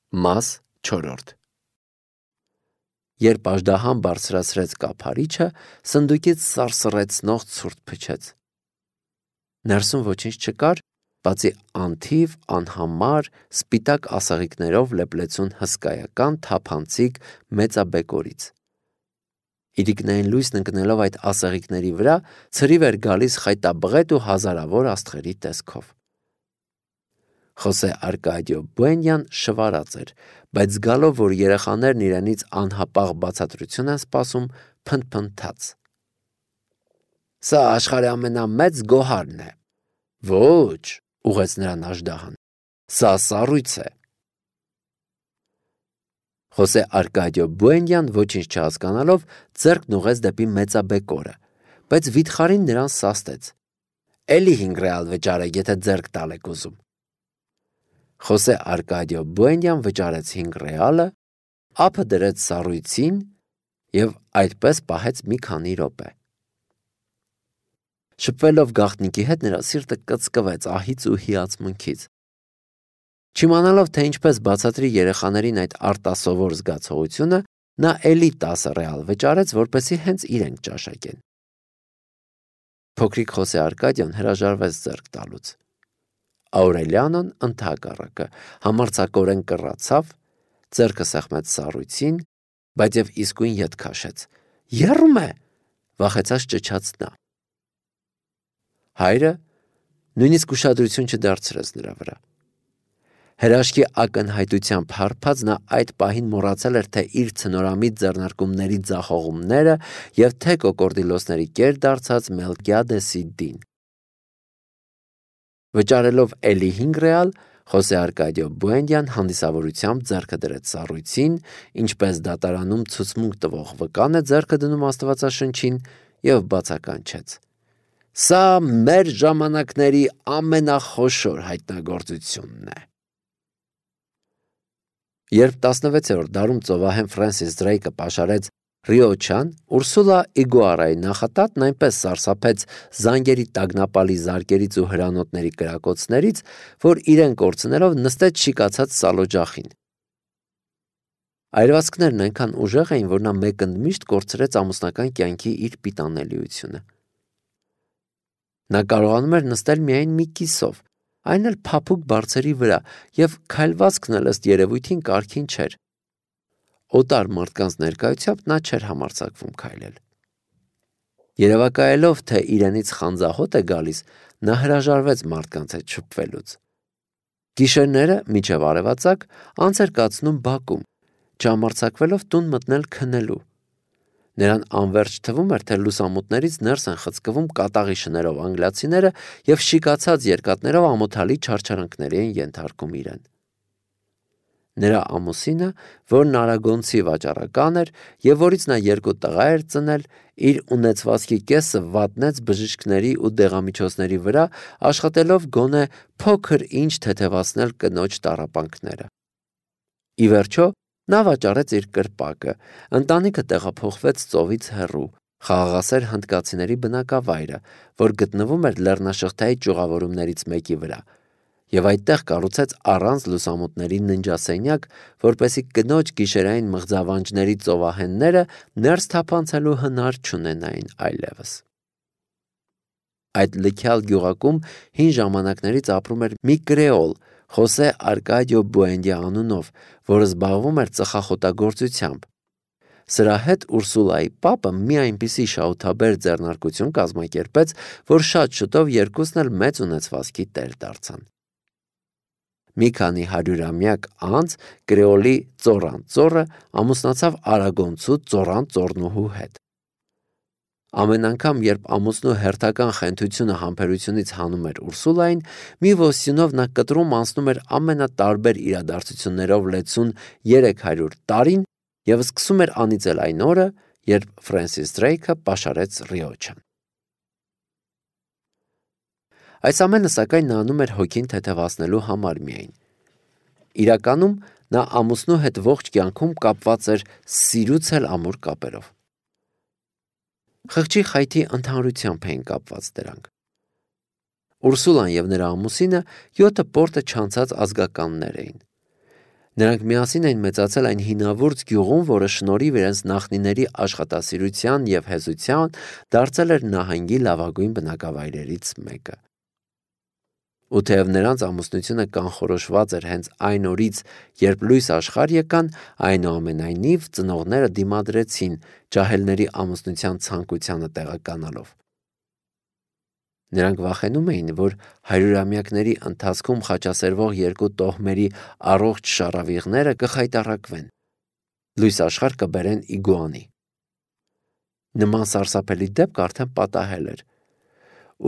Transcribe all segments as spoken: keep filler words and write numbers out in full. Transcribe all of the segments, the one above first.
Մաս չորրորդ Երբ աժդահան բարձրացրեց կափարիչը, սնդուկից սարսռեցնող ցուրտ փչեց։ Ներսում ոչինչ չկար, բացի անթիվ, անհամար, սպիտակ ասաղիկներով լեփլեցուն հսկայական թափանցիկ մեծաբեկորից։ Իրիկնային լույսն ընկնելով այդ ասաղիկների վրա, ցրիվ էր գալիս խայտաբղետ ու հազարավոր աստղերի տեսքով։ Խոսե Արկադիո Բուենյան շվարած էր, բայց զգալով, որ երեխաներն իրենից անհապաղ բացատրություն են սպասում, փնթփնթաց. Սա աշխարհի ամենամեծ գոհարն է։ Ոչ, ուղեց նրան աժդահան, սա սառույց է։ Խոսե Արկադիո Բուենյան ոչինչ չհասկանալով ձեռքն ուղեց դեպի մեծաբեկորը, բայց վիթխարին նրան սաստեց. Էլի հինգ ռեալ վճարեք, եթե ձեռք տալ եք ուզում։ Խոսե Արկադիո Բուենյան վճարեց հինգ ռեալը, ափը դրեց սառույցին և այդպես պահեց մի քանի րոպե։ Շփվելով գաղտնիքի հետ նրա սիրտը կծկվեց ահից ու հիացմունքից։ Չիմանալով, թե ինչպես բացատրի երեխաներին այդ արտասովոր զգացողությունը, նա էլի տասը ռեալ վճարեց, որպեսզի հենց իրենք ճաշակեն։ Փոքրիկ Խոսե Արկադիան հրաժարվեց ձեռք տալուց։ Աուրելիանոն ընդհակառակը համարձակորեն կռացավ, ձեռքը սեղմեց սառույցին, բայց և իսկույն ետ քաշեց։ Եռում է, վախեցած ճչաց նա։ Հայրը նույնիսկ ուշադրություն չդարձրեց նրա վրա։ Հրաշքի ակնհայտությամբ հարբած նա այդ պահին մոռացել էր թե իր ցնորամիտ ձեռնարկումների ձախողումները և թե կոկորդիլոսների կեր դարձած Մելկիադեսի դին։ Վճարելով էլի հինգ ռեալ, Խոսե Արկադիո Բուենյան հանդիսավորությամբ ձեռքը դրեց սառույցին, ինչպես դատարանում ցուցմունք տվող վկան է ձեռքը դնում Աստվածաշնչին, և բացականչեց. Սա մեր ժամանակների ամենախոշոր հայտնագործությունն է։ Երբ տասնվեցերորդ դարում ծովահեն Ֆրենսիս Դրեյկը պաշարեց Ռիոչան, Ուրսուլա Իգուարայի նախատատն այնպես սարսափեց զանգերի տագնապալի զարկերից ու հրանոթների կրակոցներից, որ իրեն կորցնելով նստեց շիկացած սալօջախին։ Այրվածքներն այնքան ուժեղ էին, որ նա մեկընդմիշտ կորցրեց ամուսնական կյանքի իր պիտանելիությունը։ Նա կարողանում էր նստել միայն մի կիսով, այն էլ փափուկ բարձերի վրա, և քայլվածքն էլ ըստ երևույթին կարգին չէր։ Օտար մարդկանց ներկայությամբ նա չէր համարձակվում քայլել։ Երևակայելով, թե իրենից խանձահոտ է գալիս, նա հրաժարվեց մարդկանց հետ շփվելուց։ Գիշերները, մինչև արևածագ, անց էր կացնում բակում, չհամարձակվելով տուն մտնել քնելու։ Նրան անվերջ թվում էր, թե լուսամուտներից ներս են խցկվում կատաղի շներով անգլիացիները և շիկացած երկաթներով ամոթալի չարչարանքների են ենթարկում իրեն։ Նրա ամուսինը, որն արագոնցի վաճառական էր և որից նա երկու տղա էր ծնել, իր ունեցվածքի կեսը վատնեց բժիշկների ու դեղամիջոցների վրա, աշխատելով գոնե փոքր ինչ թեթևացնել կնոջ տառապանքները։ Ի վերջո, նա վաճառեց իր կրպակը, ընտանիքը տեղափոխվեց ծովից հեռու, խաղաղասեր հնդկացիների բնակավայրը, որ գտնվում էր լեռնաշղթայի ճյուղավորումներից մեկի վրա, և այդտեղ կառուցեց առանց լուսամուտների ննջասենյակ, որպեսզի կնոջ գիշերային մղձավանջների ծովահենները ներս թափանցելու հնար չունենային այլևս։ Այդ լիքյալ գյուղակում հին ժամանակներից ապրում էր մի կրեոլ, Խոսե Արկադիո Բուենդիա անունով, որը զբաղվում էր ծխախոտագործությամբ։ Սրա հետ Ուրսուլայի պապը մի այնպիսի շահութաբեր ձեռնարկություն կազմակերպեց, որ շատ շուտով երկուսն էլ մեծ ունեցվածքի տեր դարձան։ Մի քանի հարյուրամյակ անց կրեոլի ծոռան ծոռը ամուսնացավ արագոնցու ծոռան ծոռնուհու հետ։ Ամեն անգամ, երբ ամուսնու հերթական խենթությունը համբերությունից հանում էր Ուրսուլային, մի ոստյունով նա կտրում անցնում էր ամենատարբեր իրադարձություններով լեցուն երեք հարյուր տարին և սկսում էր անիծել այն օրը, երբ Ֆրենսիս Դրեյկը պաշարեց Ռիոչան։ Այս ամենը, սակայն, նա անում էր հոգին թեթևացնելու համար միայն։ Իրականում նա ամուսնու հետ ողջ կյանքում կապված էր սիրուց էլ ամուր կապերով։ Խղճի խայթի ընդհանրությամբ էին կապված դրանք։ Ուրսուլան և նրա ամուսինը յոթը պորտը չանցած ազգականներ էին։ Նրանք միասին էին մեծացել այն հինավուրց գյուղում, որը շնորհիվ իրենց նախնիների աշխատասիրության և հեզության դարձել էր նահանգի լավագույն բնակավայրերից մեկը։ Ու թեև նրանց ամուսնությունը կանխորոշված էր հենց այն օրից, երբ լույս աշխարհ եկան, այնուամենայնիվ ծնողները դիմադրեցին ջահելների ամուսնության ցանկությանը տեղականալով։ Նրանք վախենում էին, որ հարյուրամյակների ընթացքում խաչասերվող երկու տոհմերի առողջ շառավիղները կխայտառակվեն, լույս աշխարհ կբերեն իգուանի։ Նման սարսափելի դեպք արդեն պատահել էր։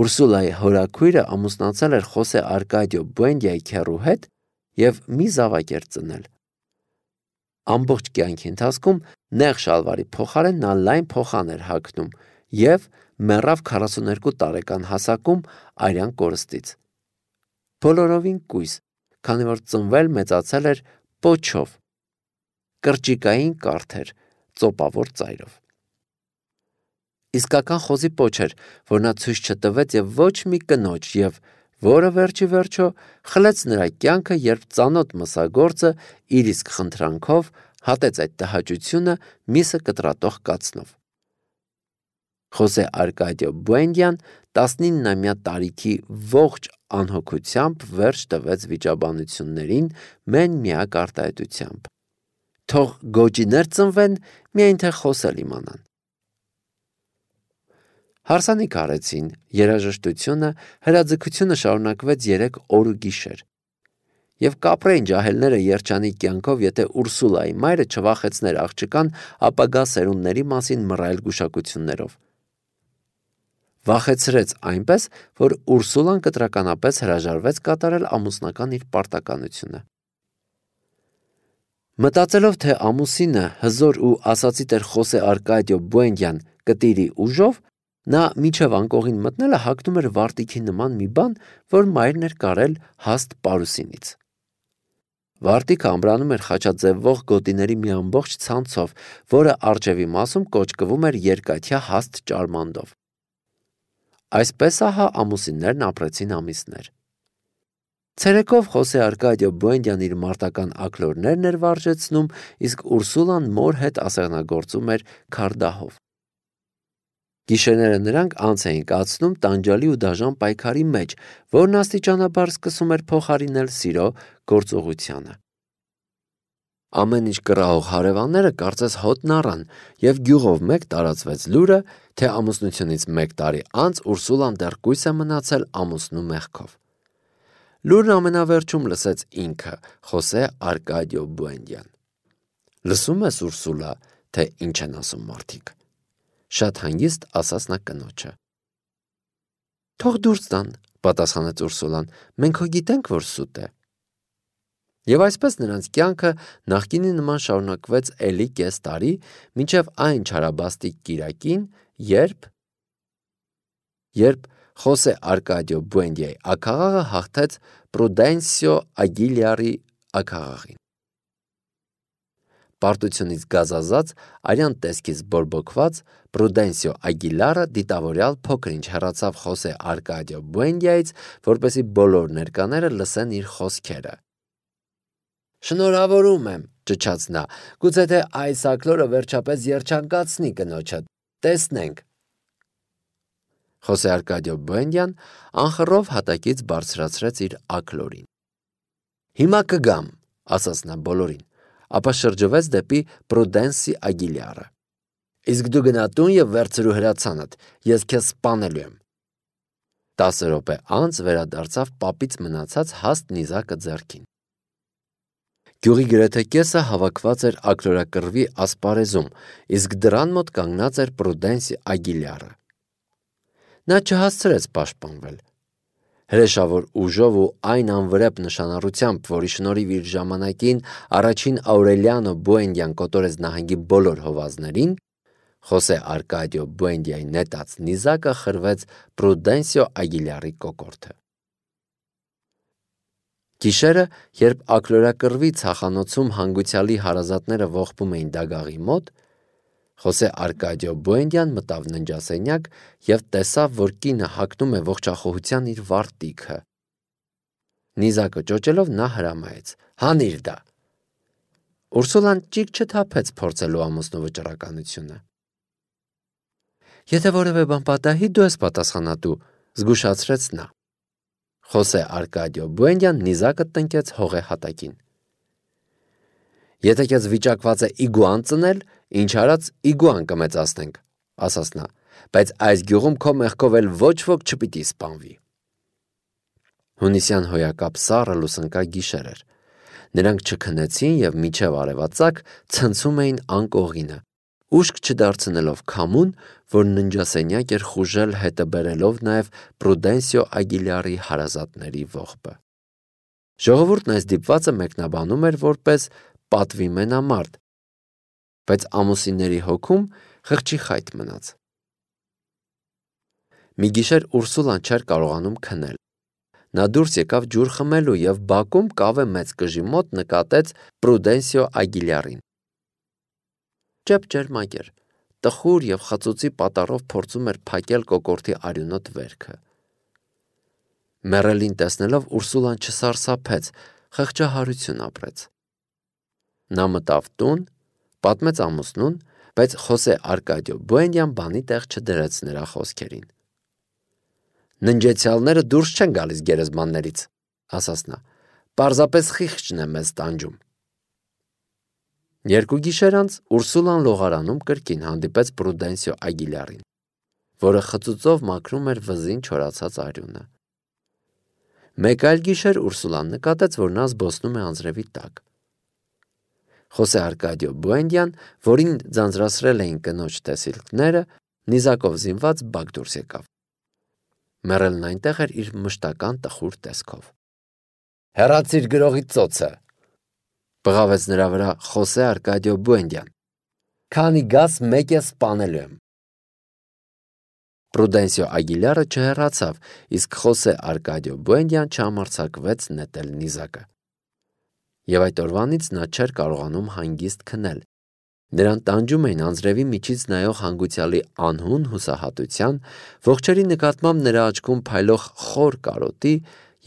Ուրսուլայի հորաքույրը ամուսնացել էր Խոսե Արկադիո Բուենդիայի քեռու հետ և մի զավակ էր ծնել։ Ամբողջ կյանքի ընթացքում նեղ շալվարի փոխարեն նա լայն փոխան էր հագնում և մեռավ քառասուներկու տարեկան հասակում արյան կորստից։ Բոլորովին կույս, քանի որ ծնվել մեծացել էր պոչով, կրճիկային կարթ էր, ծոպավոր ծայրով։ Իսկական խոզի պոչ էր, որ նա ցույց չտվեց և ոչ մի կնոջ, և որը վերջի վերջո խլեց նրա կյանքը, երբ ծանոթ մսագործը իր իսկ խնդրանքով հատեց այդ տհաճությունը միսը կտրատող կացնով։ Խոսե Արկադիո Բուենդիան տասնիննամյա տարիքի ողջ անհոգությամբ վերջ տվեց վիճաբանություններին մեն-միակ արտահայտությամբ. թող գոճիներ ծնվեն, միայն թե խոսել իմանան։ Հարսանիք արեցին, երաժշտությունը, հրաձգությունը շարունակվեց երեք օր ու գիշեր։ Եվ կապրեին ջահելները երջանիկ կյանքով, եթե Ուրսուլայի մայրը չվախեցներ աղջկան ապագա սերունդների մասին մռայլ գուշակություններով։ Վախեցրեց այնպես, որ Ուրսուլան կտրականապես հրաժարվեց կատարել ամուսնական իր պարտականությունը։ Մտածելով, թե ամուսինը հզոր ու ասացի տեր Խոսե Արկադիո Բուենդիան կտիրի ուժով, նա մինչև անկողին մտնելը հագնում էր վարտիքի նման մի բան, որ մայրն էր կարել հաստ պարուսինից։ Վարտիքը ամրանում էր խաչաձևվող գոտիների մի ամբողջ ցանցով, որը առջևի մասում կոճկվում էր երկաթյա հաստ ճարմանդով։ Այսպես ահա ամուսիններն ապրեցին ամիսներ։ Ցերեկով Խոսե Արկադիո Բուենդիան իր մարտական աքլորներն էր վարժեցնում, իսկ Ուրսուլան մոր հետ ասեղնագործում էր քարդահով։ Գիշերները նրանք անց էին կացնում տանջալի ու դաժան պայքարի մեջ, որն աստիճանաբար սկսում էր փոխարինել սիրո գործողությանը։ Ամեն ինչ կռահող հարևանները կարծես հոտն առան, և գյուղով մեկ տարածվեց լուրը, թե ամուսնությունից մեկ տարի անց Ուրսուլան դեռ կույս է մնացել ամուսնու մեղքով։ Լուրն ամենավերջում լսեց ինքը, Խոսե Արկադիո Բուենդիան։ Լսում ես, Ուրսուլա, թե ինչ են ասում մարդիկ, շատ հանգիստ ասաց նա կնոջը։ Թող դուրս տան, պատասխանեց Ուրսուլան, մենք հո գիտենք, որ սուտ է։ Եվ այսպես նրանց կյանքը նախկինի նման շարունակվեց էլի կես տարի, մինչև այն չարաբաստիկ կիրակին, երբ երբ Խոսե Արկադիո Բուենդիայի աքաղաղը հաղթեց Պրուդենսիո Ագիլիարի աքաղաղին։ Պարտությունից գազազած, արյան տեսքից բորբոքված Պրուդենսիո Ագիլարը դիտավորյալ փոքր-ինչ հեռացավ Խոսե Արկադիո Բուենդիայից, որպեսզի բոլոր ներկաները լսեն իր խոսքերը։ Շնորհավորում եմ, ճչաց նա, գուցե թե այս աքլորը վերջապես երջանկացնի կնոջը, տեսնենք։ Խոսե Արկադիո Բուենդիան անխռով հատակից բարձրացրեց իր աքլորին։ Հիմա կգամ, ասաց նա բոլորին, ապա շրջվեց դեպի Պրուդենսի Ագիլիարը։ Իսկ դու գնա տուն և վերցրու հրացանդ, ես քեզ սպանելու եմ։ Տասը րոպե անց վերադարձավ պապից մնացած հաստ նիզակը ձեռքին։ Գյուղի գրեթե կեսը հավաքված էր աքլորակռվի ասպարեզում, իսկ դռան մոտ կանգնած էր Պրուդենսի Ագիլիարը։ Նա չհասցրեց պաշտպանվել։ Հրեշավոր ուժով ու այն անվրեպ նշանառությամբ, որի շնորհիվ իր ժամանակին առաջին Աուրելիանո Բուենդիան կոտորեց նահանգի բոլոր հովազներին, Խոսե Արկադիո Բուենդիայի նետած նիզակը խրվեց Պրուդենսիո Ագիլիարի կոկորդը։ Գիշերը, երբ աքլորակռվի ցախանոցում հանգուցյալի հարազատները ողբում էին դագաղի մոտ, Խոսե Արկադիո Բուենդիան մտավ ննջասենյակ և տեսավ, որ կինը հագնում է ողջախոհության իր վարտիքը։ Նիզակը ճոճելով նա հրամայեց. Հանիր դա։ Ուրսուլան ճիգ չթափեց փորձելու ամուսնու վճռականությունը։ Եթե որևէ բան պատահի, դու ես պատասխանատու, զգուշացրեց նա։ Խոսե Արկադիո Բուենդյան նիզակը տնկեց հողե հատակին։ Եթե քեզ վիճակված է իգուան ծնել, ինչ արած իգուան կմեծացնենք, ասաց նա, բայց այս գյուղում քո մեղքով էլ ոչ ոք չպիտի սպանվի։ Հունիսյան հոյակապ սառը լուսնկա գիշեր էր։ Նրանք չքնեցին եւ միջև արևածագ ցնցում էին անկողինը, ուշք չդարձնելով քամուն, որ ննջասենյակ էր խուժել հետը բերելով նաեւ Պրուդենսիո Ագիլյարի հարազատների ողբը։ Ժողովուրդն այս դիպվածը մեկնաբանում էր որպես պատվի մենամարտ, բայց ամուսինների հոգում խղճի խայտ մնաց։ Մի գիշեր Ուրսուլան չէր կարողանում քնել։ Նա դուրս եկավ ջուր խմելու եւ բակում կավե մեծ կժի մոտ նկատեց Պրուդենսիո Ագիլյարին։ Ճեպ ջերմակ էր, տխուր եւ խծուծի պատառով փորձում էր փակել կոկորդի արյունոտ վերքը։ Մեռելին տեսնելով Ուրսուլան չսարսափեց, խղճահարություն ապրեց։ Նա մտավ տուն, պատմեց ամուսնուն, բայց Խոսե Արկադիո Բուենդյան բանի տեղ չդրեց նրա խոսքերին։ Ննջեցյալները դուրս չեն գալիս գերեզմաններից, ասաց նա, պարզապես խիղճն է մեզ տանջում։ Երկու գիշեր անց Ուրսուլան լողարանում կրկին հանդիպեց Պրուդենսիո Ագիլյարին, որը խծուծով մաքրում էր վզին չորացած արյունը։ Մեկ այլ գիշեր Ուրսուլան նկատեց, որ նա զբոսնում է անձրևի տակ։ Խոսե Արկադիո Բուենդյան, որին ձանձրացրել էին կնոջ տեսիլքները, նիզակով զինված բակ դուրս եկավ։ Մեռելն այնտեղ էր իր մշտական տխուր տեսքով։ Հեռացիր գրողի ծոցը, բղավեց նրա վրա Խոսե Արկադիո Բուենդյան։ Քանի գաս մեկ է սպանելու եմ։ Պրուդենսիո Ագիլյարը չհեռացավ, իսկ Խոսե Արկադիո Բուենդյան չհամարձակվեց նետել նիզակը։ Եվ այդ օրվանից նա չէր կարողանում հանգիստ քնել։ Նրան տանջում էին անձրևի միջից նայող հանգուցյալի անհուն հուսահատության, ողջերի նկատմամբ նրա աչքում փայլող խոր կարոտի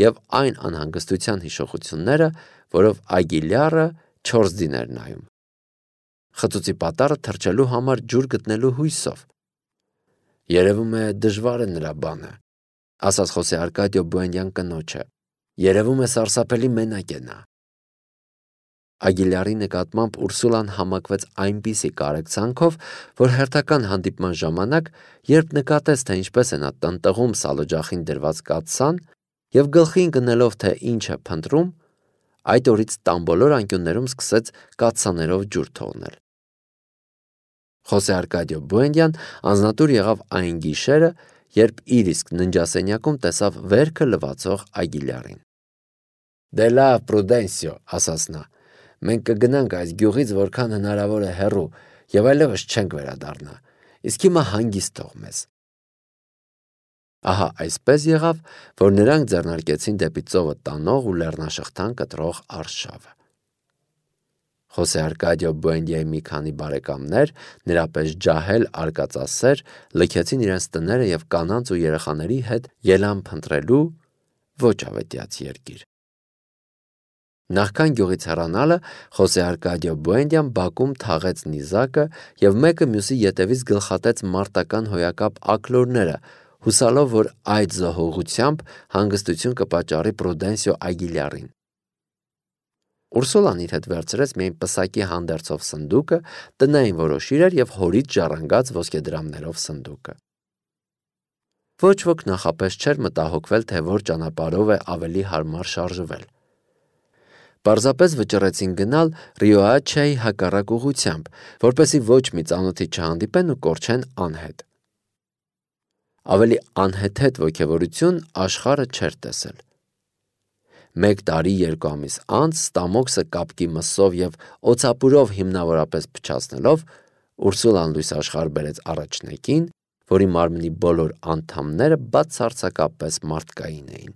եւ այն անհանգստության հիշողությունները, որով Ագիլյարը չորս դին էր նայում։ Խծուծի պատառը թրջելու համար ջուր գտնելու հույսով։ Երևում է դժվար է նրա բանը, ասաց Խոսե Արկադիո Բուենդյան կնոջը։ Երևում է սարսափելի մենակ է նա։ Ագիլյարի նկատմամբ Ուրսուլան համակվեց այնպիսի կարեկցանքով, որ հերթական հանդիպման ժամանակ, երբ նկատեց, թե ինչպես է նա տնտղում սալօջախին դրված կաթսան եւ գլխին գնելով, թե ինչ է փնտրում, այդ օրից տանբոլոր անկյուններում սկսեց կաթսաներով ջուր թողնել։ Խոսե Արկադիո Բուենդյան անznատուր եղավ այն գիշերը, երբ իր իսկ ննջասենյակում տեսավ վերքը լվացող Ագիլյարին։ Դե լավ, Պրուդենսիո, ասաց նա, մենք կգնանք այս գյուղից որքան հնարավոր է հեռու եւ այլևս չենք վերադառնա, իսկ հիմա հանգիստ թող մեզ։ Ահա այսպես եղավ, որ նրանք ձեռնարկեցին դեպի ծովը տանող ու լեռնաշղթան կտրող արշավը։ Խոսե Արկադիո Բուենդիայի մի քանի բարեկամներ, նրա պես ջահել արկածասեր, լքեցին իրենց տները եւ կանանց ու երեխաների հետ ելան փնտրելու ոչ ավետյաց երկիր։ Նախքան գյուղից հեռանալը Խոսե Արկադիո Բուենդյան բակում թաղեց նիզակը եւ մեկը մյուսի ետևից գլխատեց մարտական հոյակապ ակլորները, հուսալով, որ այդ զոհողությամբ հանգստություն կպատճառի Պրուդենսիո Ագիլյարին։ Ուրսուլան իր հետ վերցրեց միայն պսակի հանդերձով սնդուկը, տնային որոշ իրեր եւ հորից ժառանգած ոսկեդրամներով սնդուկը։ Ոչ ոք նախապես չէր մտահոգվել, թե որ ճանապարհով է ավելի հարմար շարժվել։ Պարզապես վճռեցին գնալ Ռիոաչեի հակառակ ուղությամբ, որպեսզի ոչ մի ծանոթի չհանդիպեն ու կորչեն անհետ։ Ավելի անհեթեթ ոգևորություն աշխարհը չէր տեսել։ Մեկ տարի երկու ամիս անց Ստամոքսը կապկի մսով եւ օծապուրով հիմնավորապես փչացնելով Ուրսուլան լույս աշխարհ բերեց առաջնեկին, որի մարմնի բոլոր անդամները բացարձակապես մարդկային էին։